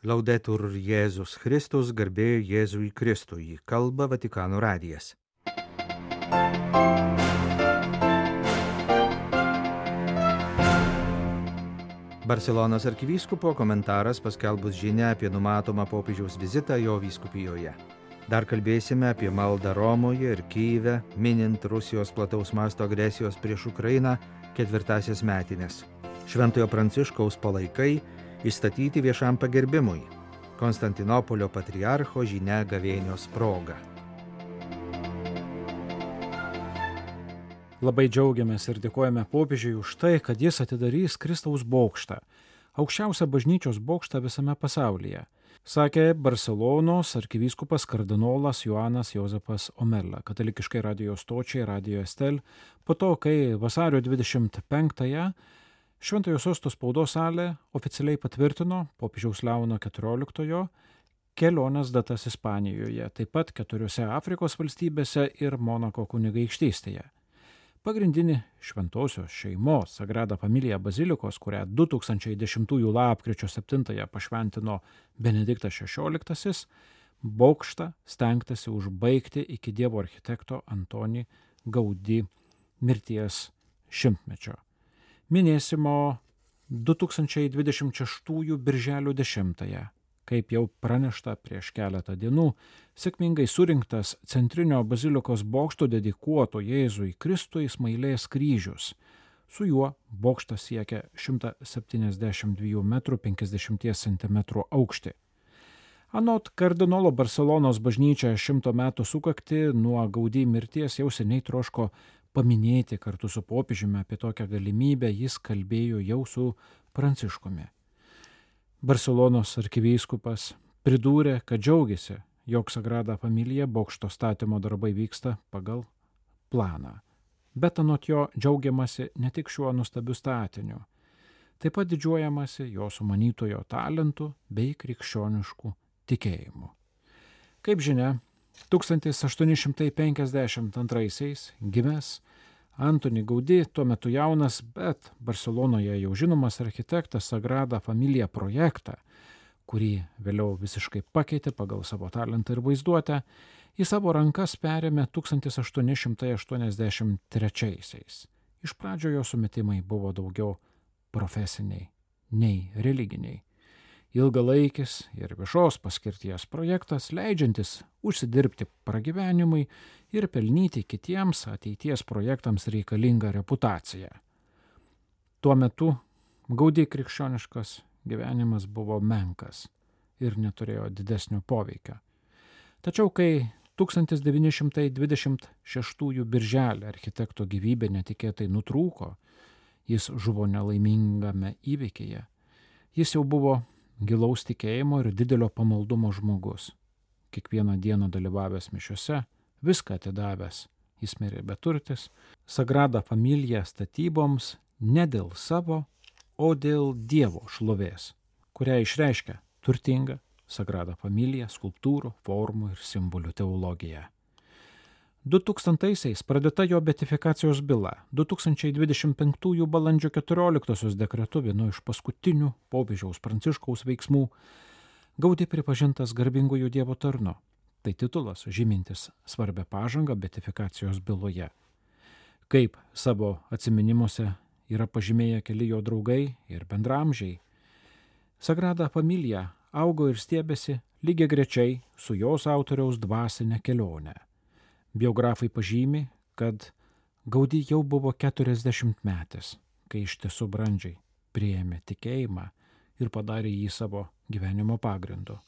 Laudetur Jėzus Kristus, garbė Jėzui Kristui, kalba Vatikano radijas. Barselonos arkivyskupo komentaras paskelbus žinią apie numatomą popiežiaus vizitą jo vyskupijoje. Dar kalbėsime apie maldą Romoje ir Kyjive, minint Rusijos plataus masto agresijos prieš Ukrainą 4-asias metines. Šventojo Pranciškaus palaikai įstatyti viešam pagerbimui. Konstantinopolio patriarcho žinia gavėnios proga. Labai džiaugiamės ir dėkojame popiežiui už tai, kad jis atidarys Kristaus bokštą, aukščiausią bažnyčios bokštą visame pasaulyje, sakė Barselonos arkivyskupas kardinolas Joanas Jozepas Omella, katalikiškai radijo stočiai Radio Estel, po to, kai vasario 25-ąją Šventojo sosto spaudos salė oficialiai patvirtino popiežiaus Leono XIV kelionės datas Ispanijoje, taip pat 4 Afrikos valstybėse ir Monako kunigaikštystėje. Pagrindinį šventosios šeimos Sagrada Familia bazilikos, kurią 2010 lapkričio 7 pašventino Benediktas XVI, bokštą stengtasi užbaigti iki Dievo architekto Antoni Gaudí mirties šimtmečio. Minėsimo 2026 birželio 10, kaip jau pranešta prieš keletą dienų, sėkmingai surinktas centrinio bazilikos bokšto dedikuoto Jėzui Kristui smailės kryžius. Su juo bokštas siekia 172 m 50 cm aukštį. Anot kardinolo Barselonos bažnyčia 100 metų sukaktį nuo Gaudí mirties jau seniai troško paminėti kartu su popiežiumi. Apie tokią galimybę jis kalbėjo jau su Pranciškumi. Barselonos arkivyskupas pridūrė, kad džiaugiasi, jog Sagrada Familia bokšto statymo darbai vyksta pagal planą. Bet anot jo džiaugiamasi ne tik šiuo nuostabiu statiniu, taip pat didžiuojamasi jo sumanytojo talentu bei krikščionišku tikėjimu. Kaip žinia, 1852 gimęs Antoni Gaudí, tuo metu jaunas, bet Barselonoje jau žinomas architektas Sagrada Familia projektą, kurį vėliau visiškai pakeitė pagal savo talentą ir vaizduotę, į savo rankas perėmė 1883. Iš pradžio jo sumetimai buvo daugiau profesiniai nei religiniai. Ilgalaikis ir viešos paskirties projektas, leidžiantis užsidirbti pragyvenimui ir pelnyti kitiems ateities projektams reikalingą reputaciją. Tuo metu Gaudí krikščioniškas gyvenimas buvo menkas ir neturėjo didesnio poveikio. Tačiau kai 1926 birželį architekto gyvybė netikėtai nutrūko, jis žuvo nelaimingame įvykyje, jis jau buvo gilaus tikėjimo ir didelio pamaldumo žmogus. Kiekvieną dieną dalyvavęs mišiose, viską atidavęs, jis mirė beturtis, Sagrada Familia statyboms ne dėl savo, o dėl Dievo šlovės, kurią išreiškia turtinga Sagrada Familia skulptūrų, formų ir simbolių teologija. 2000-aisiais pradėta jo beatifikacijos byla. 2025 balandžio 14 dekretu, vienu iš paskutinių popiežiaus Pranciškaus veiksmų, Gaudí pripažintas garbingųjų Dievo tarnu. Tai titulas žymintis svarbią pažangą beatifikacijos byloje. Kaip savo atsiminimuose yra pažymėję keli jo draugai ir bendramžiai, Sagrada Familia augo ir stiebėsi lygiagrečiai su jos autoriaus dvasinė kelionė. Biografai pažymi, kad Gaudí jau buvo 40-metis, kai iš tiesų brandžiai priėmė tikėjimą ir padarė jį savo gyvenimo pagrindu.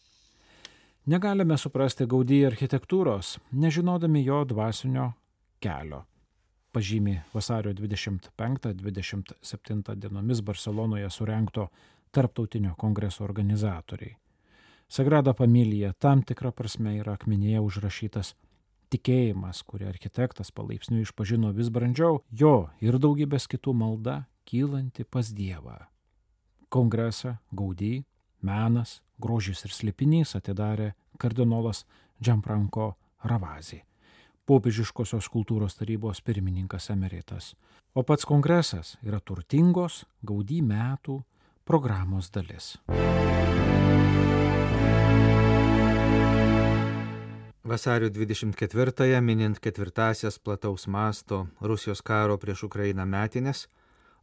Negalime suprasti Gaudí architektūros, nežinodami jo dvasinio kelio, pažymi vasario 25-27 dienomis Barselonoje surengto tarptautinio kongreso organizatoriai. Sagrada Familia tam tikra prasme yra akmenyje užrašytas tikėjimas, kurį architektas palaipsniui išpažino vis brandžiau, jo ir daugybės kitų malda kylanti pas Dievą. Kongresą Gaudí, menas, grožis ir slėpinys atidarė kardinolas Gianfranco Ravasi, popiežiškosios kultūros tarybos pirmininkas emeritas, o pats kongresas yra turtingos Gaudí metų programos dalis. Vasario 24-ąją, minint 4-asias plataus masto Rusijos karo prieš Ukrainą metinės,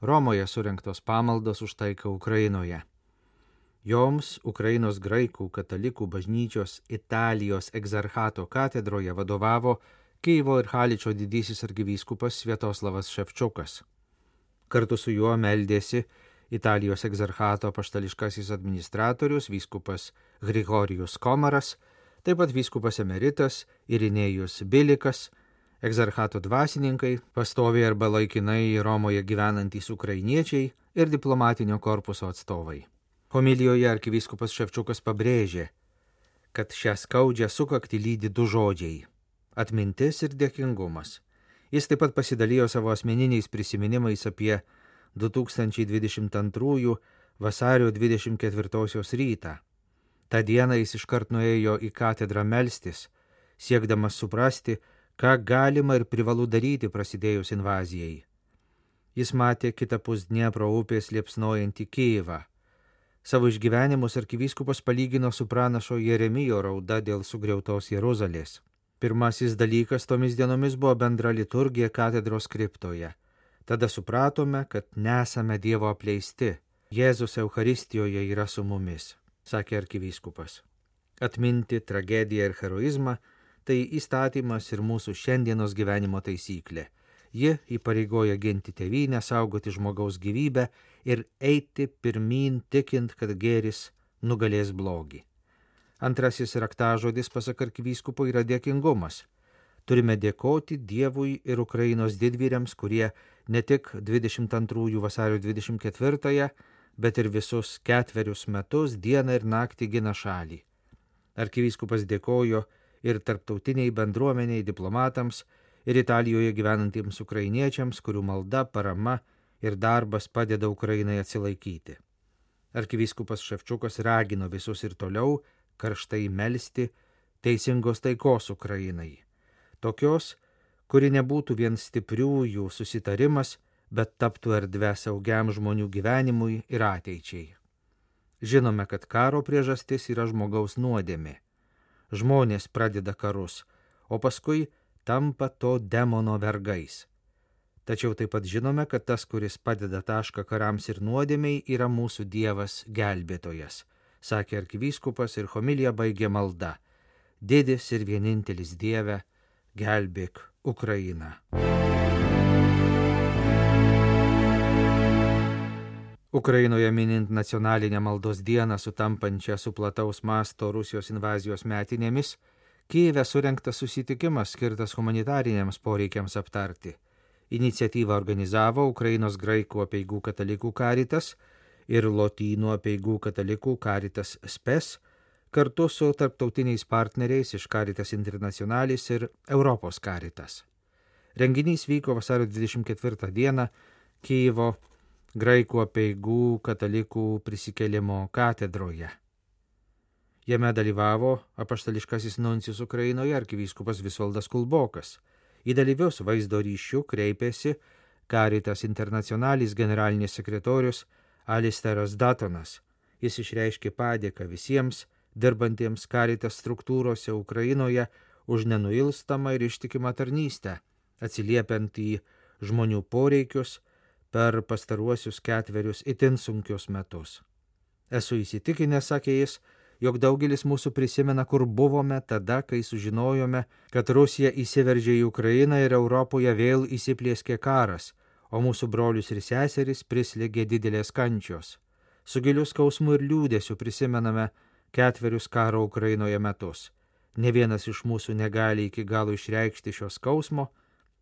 Romoje surengtos pamaldos už taiką Ukrainoje. Joms Ukrainos graikų katalikų bažnyčios Italijos egzarchato katedroje vadovavo Kyjivo ir Haličo didysis arkivyskupas Sviatoslavas Ševčiukas. Kartu su juo meldėsi Italijos egzarchato apaštališkasis administratorius vyskupas Grigorijus Komaras, taip pat vyskupas emeritas Irinėjus Bilikas, egzarchato dvasininkai, pastoviai arba laikinai Romoje gyvenantys ukrainiečiai ir diplomatinio korpuso atstovai. Homilijoje arkivyskupas Ševčiukas pabrėžė, kad šią skaudžią sukaktį lydi du žodžiai – atmintis ir dėkingumas. Jis taip pat pasidalijo savo asmeniniais prisiminimais apie 2022 vasario 24 rytą. Ta diena jis iškart nuėjo į katedrą melstis, siekdamas suprasti, ką galima ir privalu daryti prasidėjus invazijai. Jis matė kitapus Dniepro upės liepsnojantį Kijivą. Savo išgyvenimus arkivyskupas palygino su pranašo Jeremijo rauda dėl sugriautos Jeruzalės. Pirmasis dalykas tomis dienomis buvo bendra liturgija katedros kriptoje. Tada supratome, kad nesame Dievo apleisti. Jėzus Eucharistijoje yra su mumis, sakė arkivyskupas. Atminti tragediją ir heroizmą – tai įstatymas ir mūsų šiandienos gyvenimo taisyklė. Ji įpareigoja ginti tėvynę, saugoti žmogaus gyvybę ir eiti pirmyn tikint, kad gėris nugalės blogį. Antrasis raktažodis, pasak arkivyskupo, yra dėkingumas. Turime dėkoti Dievui ir Ukrainos didvyriams, kurie ne tik 22 vasario 24-ąją, bet ir visus 4 metus dieną ir naktį gina šalį. Arkivyskupas dėkojo ir tarptautiniai bendruomeniai, diplomatams ir Italijoje gyvenantiems ukrainiečiams, kurių malda, parama ir darbas padeda Ukrainai atsilaikyti. Arkivyskupas Ševčiukas ragino visus ir toliau karštai melsti teisingos taikos Ukrainai. Tokios, kuri nebūtų vien stipriųjų susitarimas, bet taptų erdvę saugiam žmonių gyvenimui ir ateičiai. Žinome, kad karo priežastis yra žmogaus nuodėmė. Žmonės pradeda karus, o paskui tampa to demono vergais. Tačiau taip pat žinome, kad tas, kuris padeda tašką karams ir nuodėmiai, yra mūsų Dievas gelbėtojas, sakė arkivyskupas ir homiliją baigė malda. Didis ir vienintelis Dieve, gelbėk Ukrainą. Ukrainoje minint nacionalinę maldos dieną sutampančią su plataus masto Rusijos invazijos metinėmis, Kijeve surengtas susitikimas skirtas humanitariniams poreikiams aptarti. Iniciatyvą organizavo Ukrainos graikų apeigų katalikų karitas ir lotynų apeigų katalikų karitas Spes, kartu su tarptautiniais partneriais iš Caritas Internationalis ir Europos karitas. Renginys vyko vasario 24 dieną Kijivo graikų apeigų katalikų prisikėlimo katedroje. Jame dalyvavo apaštališkasis nuncijus Ukrainoje arkivyskupas Visvaldas Kulbokas. Į dalyvius vaizdo ryšių kreipėsi Caritas Internationalis generalinis sekretorius Alisteras Datonas. Jis išreiškė padėką visiems dirbantiems Caritas struktūrose Ukrainoje už nenuilstamą ir ištikimą tarnystę, atsiliepiant į žmonių poreikius per pastaruosius 4 itin sunkius metus. Esu įsitikinęs, sakė jis, jog daugelis mūsų prisimena, kur buvome tada, kai sužinojome, kad Rusija įsiveržė į Ukrainą ir Europoje vėl įsiplieskė karas, o mūsų brolius ir seseris prislėgė didelės kančios. Su giliu skausmu ir liūdėsiu prisimename 4 karo Ukrainoje metus. Ne vienas iš mūsų negali iki galo išreikšti šio skausmo,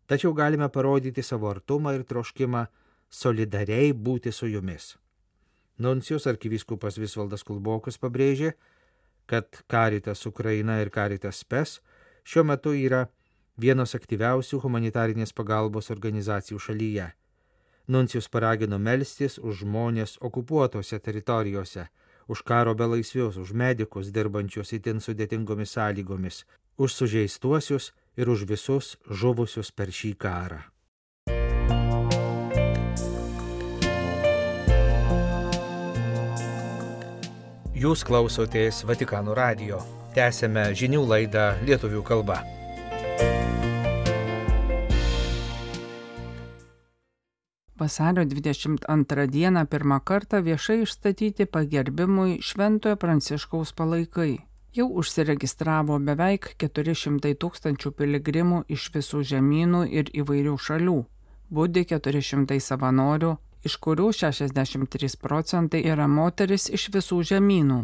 tačiau galime parodyti savo artumą ir troškimą solidariai būti su jumis. Nuncijus arkivyskupas Visvaldas Kulbokas pabrėžė, kad Caritas Ukraina ir Caritas Spes šiuo metu yra vienos aktyviausių humanitarinės pagalbos organizacijų šalyje. Nuncijus paragino melstis už žmonės okupuotose teritorijose, už karo belaisvius, už medikus dirbančius itin sudėtingomis sąlygomis, už sužeistuosius ir už visus žuvusius per šį karą. Jūs klausotės Vatikano radijo. Tęsėme žinių laidą lietuvių kalba. Vasario 22 dieną pirmą kartą viešai išstatyti pagerbimui Šventojo Pranciškaus palaikai. Jau užsiregistravo beveik 400 000 piligrimų iš visų žemynų ir įvairių šalių. Budi 400 savanorių, iš kurių 63% yra moteris iš visų žemynų.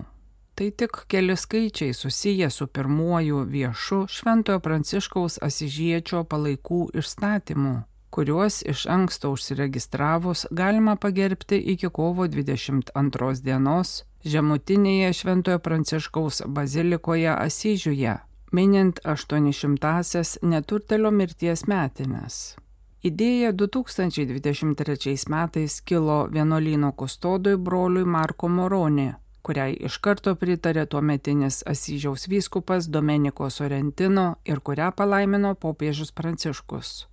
Tai tik keli skaičiai susiję su pirmuoju viešu Šventojo Pranciškaus Asyžiečio palaikų išstatymu, kuriuos iš anksto užsiregistravus galima pagerbti iki kovo 22 dienos žemutinėje Šventojo Pranciškaus bazilikoje Asyžiuje, minint 800-asias neturtelio mirties metines. Idėja 2023 metais kilo vienuolyno kustodui broliui Marko Moroni, kuriai iš karto pritarė tuometinis Asyžiaus vyskupas Domenico Sorrentino ir kurią palaimino popiežius Pranciškus.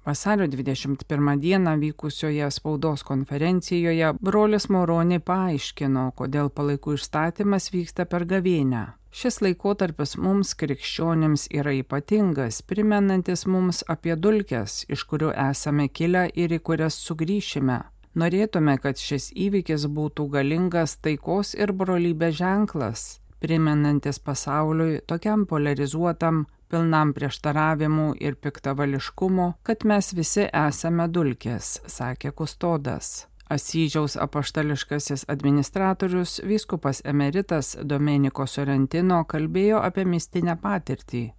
Vasario 21 dieną vykusioje spaudos konferencijoje brolis Moroni paaiškino, kodėl palaikų išstatymas vyksta per gavėnią. Šis laikotarpis mums krikščionims yra ypatingas, primenantis mums apie dulkes, iš kurių esame kilę ir į kurias sugrįšime. Norėtume, kad šis įvykis būtų galingas taikos ir brolybės ženklas, primenantis pasauliui tokiam polarizuotam, pilnam prieštaravimų ir piktavališkumo, kad mes visi esame dulkės, sakė kustodas. Asyžiaus apaštališkasis administratorius, vyskupas emeritas Domenico Sorrentino kalbėjo apie mistinę patirtį,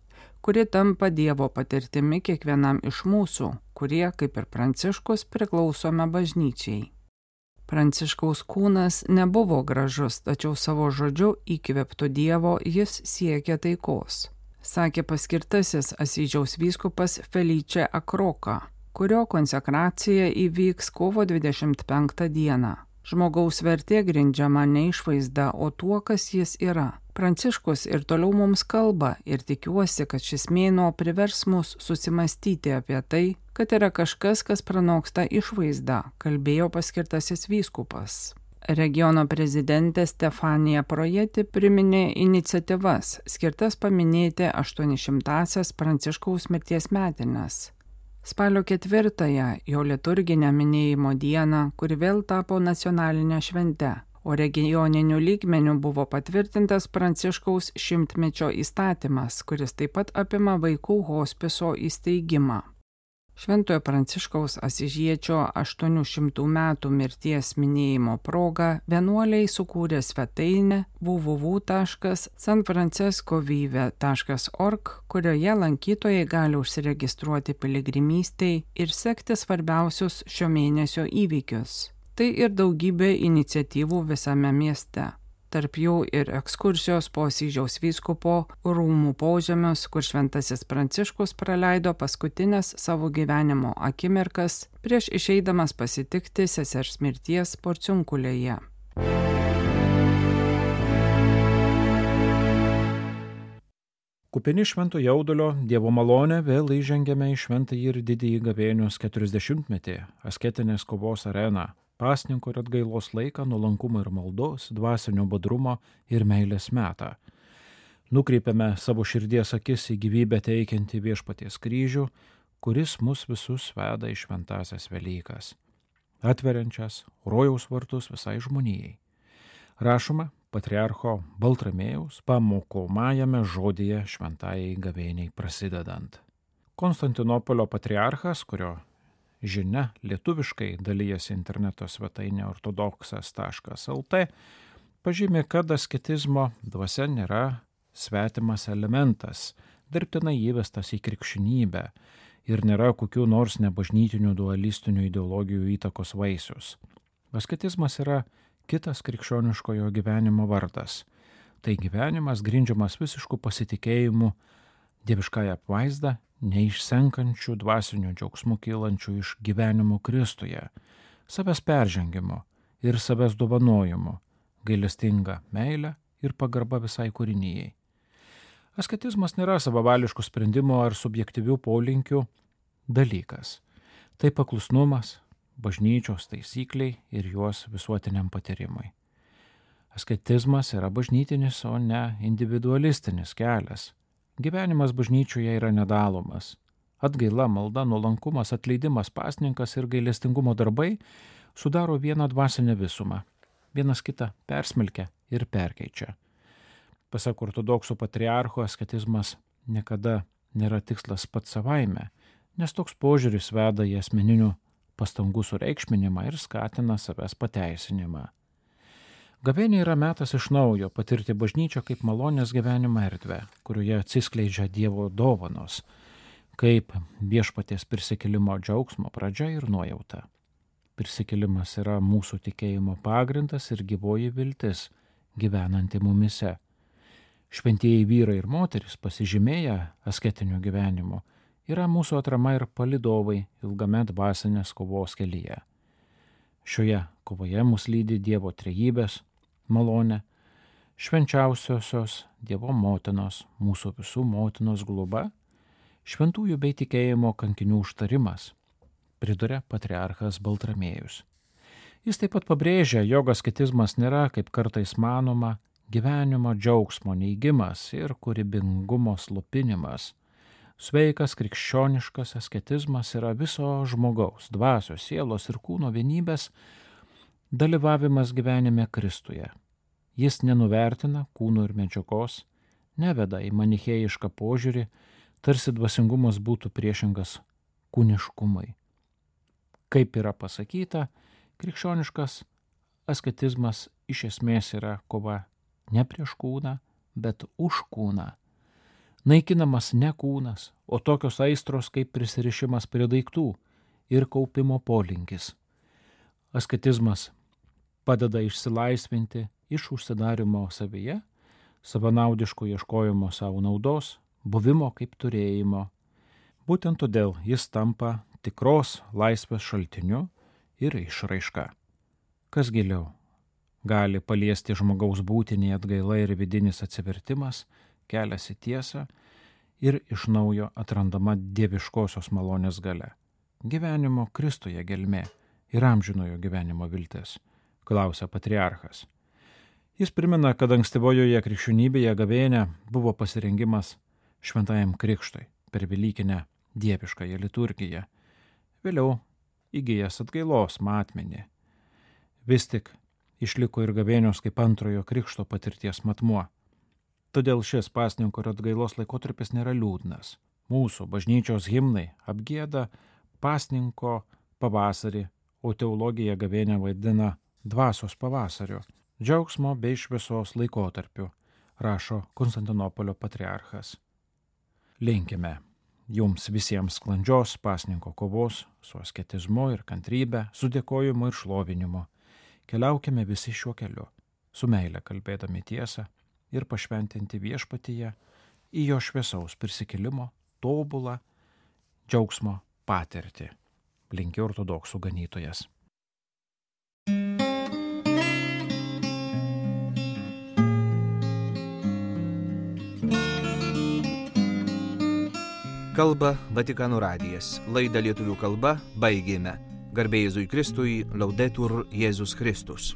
kuri tampa Dievo patirtimi kiekvienam iš mūsų, kurie, kaip ir Pranciškus, priklausome bažnyčiai. Pranciškaus kūnas nebuvo gražus, tačiau savo žodžiu įkvėptų Dievo jis siekė taikos, sakė paskirtasis Asyžiaus vyskupas Felice Akroka, kurio konsekracija įvyks kovo 25 dieną. Žmogaus vertė grindžiama ne išvaizda, o tuo, kas jis yra. Pranciškus ir toliau mums kalba ir tikiuosi, kad šis mėnuo privers mus susimastyti apie tai, kad yra kažkas, kas pranoksta išvaizdą, kalbėjo paskirtasis vyskupas. Regiono prezidentė Stefanija Projeti priminė iniciatyvas, skirtas paminėti 800-asias Pranciškaus mirties metines. Spalio 4-ąją jo liturginę minėjimo dieną, kuri vėl tapo nacionalinė švente, o regioniniu lygmeniu buvo patvirtintas Pranciškaus 100-mečio įstatymas, kuris taip pat apima vaikų hospiso įsteigimą. Šventojo Pranciškaus Asyžiečio 800 metų mirties minėjimo proga vienuoliai sukūrė svetainę www.sanfrancescovive.org, kurioje lankytojai gali užsiregistruoti piligrimystei ir sekti svarbiausius šio mėnesio įvykius. Tai ir daugybė iniciatyvų visame mieste. Tarp jų ir ekskursijos po Asyžiaus vyskupo rūmų požemius, kur šventasis Pranciškus praleido paskutinės savo gyvenimo akimirkas prieš išeidamas pasitikti sesers mirties Porciunkulėje. Kupini švento jaudulio Dievo malonę vėl įžengėme į šventąjį ir didįjį gavėnios 40-metį, asketinės kovos areną, pasninko ir atgailos laiką, nuolankumo ir maldos, dvasinio budrumo ir meilės metą. Nukreipiame savo širdies akis į gyvybę teikiantį Viešpaties kryžių, kuris mus visus veda į šventąsias Velykas, atveriančias rojaus vartus visai žmonijai. Rašoma patriarcho Baltramėjaus pamokomajame žodyje šventajai gavėniai prasidedant. Konstantinopolio patriarchas, kurio žinia lietuviškai dalyjasi interneto svetainė ortodoksas.lt, pažymė, kad asketizmo dvasia nėra svetimas elementas, dirbtinai įvestas į krikščionybę ir nėra kokių nors nebažnytinių dualistinių ideologijų įtakos vaisius. Asketizmas yra kitas krikščioniškojo gyvenimo vardas. Tai gyvenimas grindžiamas visišku pasitikėjimu dieviškąją apvaizdą, neišsenkančių dvasinių džiaugsmų kylančių iš gyvenimo Kristuje, savęs peržengimo ir savęs dovanojimu, gailestinga meilė ir pagarba visai kūrinijai. Asketizmas nėra savavališkų sprendimų ar subjektyvių polinkių dalykas. Tai paklusnumas bažnyčios taisykliai ir juos visuotiniam patyrimui. Asketizmas yra bažnytinis, o ne individualistinis kelias. Gyvenimas bažnyčioje yra nedalomas. Atgaila, malda, nuolankumas, atleidimas, pasninkas ir gailestingumo darbai sudaro vieną dvasinę visumą. Vienas kitą persmelkia ir perkeičia. Pasak ortodoksų patriarcho, asketizmas niekada nėra tikslas pats savaime, nes toks požiūris veda į asmeninių pastangų sureikšminimą ir skatina savęs pateisinimą. Gavėnia yra metas iš naujo patirti bažnyčią kaip malonės gyvenimo erdvę, kurioje atsiskleidžia Dievo dovanos, kaip viešpaties prisikėlimo džiaugsmo pradžia ir nuojauta. Prisikėlimas yra mūsų tikėjimo pagrindas ir gyvoji viltis, gyvenanti mumise. Šventieji vyrai ir moterys, pasižymėję asketiniu gyvenimu, yra mūsų atrama ir palydovai ilgame dvasinės kovos kelyje. Šioje kovoje mus lydi Dievo trejybės malonė, švenčiausiosios Dievo motinos, mūsų visų motinos globa, šventųjų bei tikėjimo kankinių užtarimas, priduria patriarchas Baltramiejus. Jis taip pat pabrėžia, jog asketizmas nėra, kaip kartais manoma, gyvenimo džiaugsmo neigimas ir kūrybingumo slopinimas. Sveikas krikščioniškas asketizmas yra viso žmogaus, dvasios, sielos ir kūno vienybės dalyvavimas gyvenime Kristuje. Jis nenuvertina kūno ir medžiagos, neveda į manichėjišką požiūrį, tarsi dvasingumas būtų priešingas kūniškumui. Kaip yra pasakyta, krikščioniškas asketizmas iš esmės yra kova ne prieš kūną, bet už kūną. Naikinamas ne kūnas, o tokios aistros kaip prisirišimas prie daiktų ir kaupimo polinkis. Asketizmas padeda išsilaisvinti iš užsidarimo savyje, savanaudiško ieškojimo savo naudos, buvimo kaip turėjimo. Būtent todėl jis tampa tikros laisvės šaltiniu ir išraiška. Kas giliau gali paliesti žmogaus būtinį atgaila ir vidinis atsivertimas, kelias į tiesą ir iš naujo atrandama dieviškosios malonės galia. Gyvenimo Kristuje gelmė ir amžinojo gyvenimo viltis, klausia patriarchas. Jis primena, kad ankstyvojoje krikščionybėje gavėnia buvo pasirengimas šventajam krikštui per velykinę dieviškąją liturgiją, vėliau įgijęs atgailos matmenį. Vis tik išliko ir gavėnios kaip antrojo krikšto patirties matmuo. Todėl šis pasninko ir atgailos laikotarpis nėra liūdnas. Mūsų bažnyčios himnai apgieda pasninko pavasarį, o teologija gavėnią vadina dvasios pavasariu, džiaugsmo bei šviesos laikotarpiu, rašo Konstantinopolio patriarchas. Linkime jums visiems sklandžios pasninko kovos su asketizmu ir kantrybe, su dėkojimu ir šlovinimu. Keliaukime visi šiuo keliu, su meile kalbėdami tiesą ir pašventinti viešpatyje į jo šviesaus prisikėlimo, tobulą džiaugsmo patirtį. Linki ortodoksų ganytojas. Kalba Vatikano radijas. Laidą lietuvių kalba baigėme. Garbė Jėzui Kristui, Laudetur Jėzus Kristus.